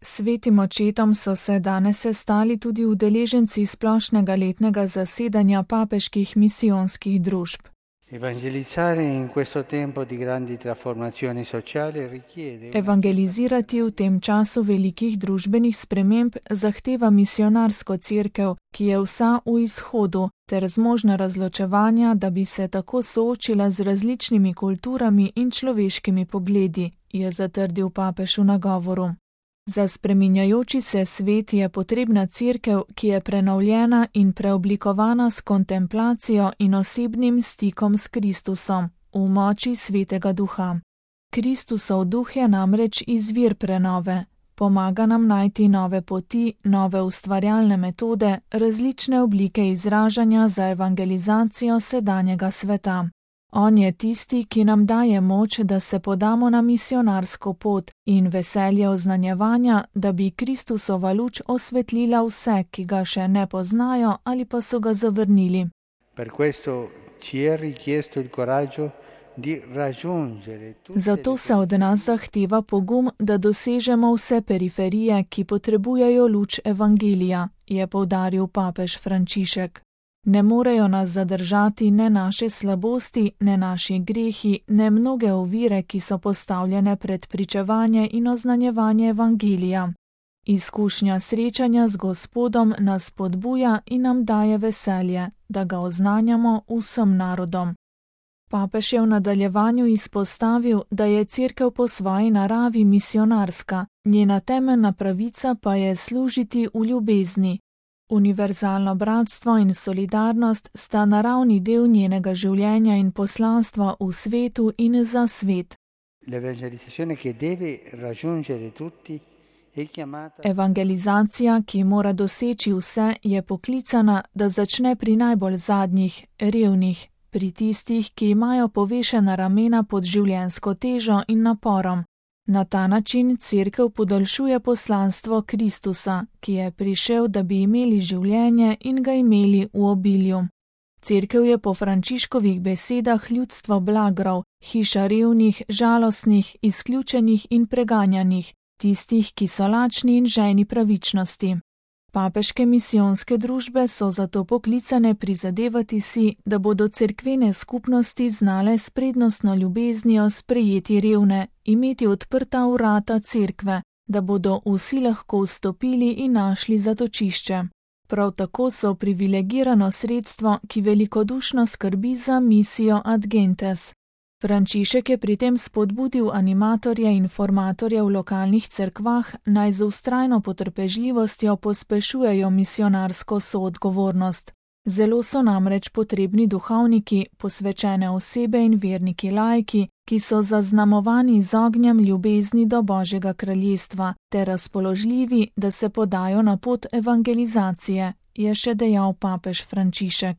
Svetim očetom so se danes sestali tudi udeleženci splošnega letnega zasedanja papeških misijonskih družb. Evangelizirati v tem času velikih družbenih sprememb zahteva misionarsko cerkev, ki je vsa v izhodu, ter zmožna razločevanja, da bi se tako soočila z različnimi kulturami in človeškimi pogledi, je zatrdil papež v nagovoru. Za spreminjajoči se svet je potrebna cerkev, ki je prenovljena in preoblikovana s kontemplacijo in osebnim stikom s Kristusom, v moči Svetega Duha. Kristusov duh je namreč izvir prenove, pomaga nam najti nove poti, nove ustvarjalne metode, različne oblike izražanja za evangelizacijo sedanjega sveta. On je tisti, ki nam daje moč, da se podamo na misionarsko pot in veselje oznanjevanja, da bi Kristusova luč osvetlila vse, ki ga še ne poznajo ali pa so ga zavrnili. Zato se od nas zahteva pogum, da dosežemo vse periferije, ki potrebujejo luč evangelija, je poudaril papež Frančišek. Ne morejo nas zadržati ne naše slabosti, ne naši grehi, ne mnoge ovire, ki so postavljene pred pričevanje in oznanjevanje evangelija. Izkušnja srečanja z Gospodom nas spodbuja in nam daje veselje, da ga oznanjamo vsem narodom. Papež je v nadaljevanju izpostavil, da je cerkev po svoji naravi misionarska, njena temeljna pravica pa je služiti v ljubezni. Univerzalno bratstvo in solidarnost sta naravni del njenega življenja in poslanstva v svetu in za svet. Evangelizacija, ki mora doseči vse, je poklicana, da začne pri najbolj zadnjih, revnih, pri tistih, ki imajo povešena ramena pod življenjsko težo in naporom. Na ta način cerkev podaljšuje poslanstvo Kristusa, ki je prišel, da bi imeli življenje in ga imeli v obilju. Cerkev je po Frančiškovih besedah ljudstvo blagrov, hiša revnih, žalostnih, izključenih in preganjanih, tistih, ki so lačni in žejni pravičnosti. Papeške misijonske družbe so zato poklicane prizadevati si, da bodo cerkvene skupnosti znale s prednostno ljubeznijo sprejeti revne, imeti odprta vrata cerkve, da bodo vsi lahko vstopili in našli zatočišče. Prav tako so privilegirano sredstvo, ki velikodušno skrbi za misijo ad gentes. Frančišek je pri tem spodbudil animatorje in formatorje v lokalnih cerkvah, naj z vztrajno potrpežljivostjo pospešujejo misionarsko soodgovornost. Zelo so namreč potrebni duhovniki, posvečene osebe in verniki laiki, ki so zaznamovani z ognjem ljubezni do Božjega kraljestva, ter razpoložljivi, da se podajo na pot evangelizacije, je še dejal papež Frančišek.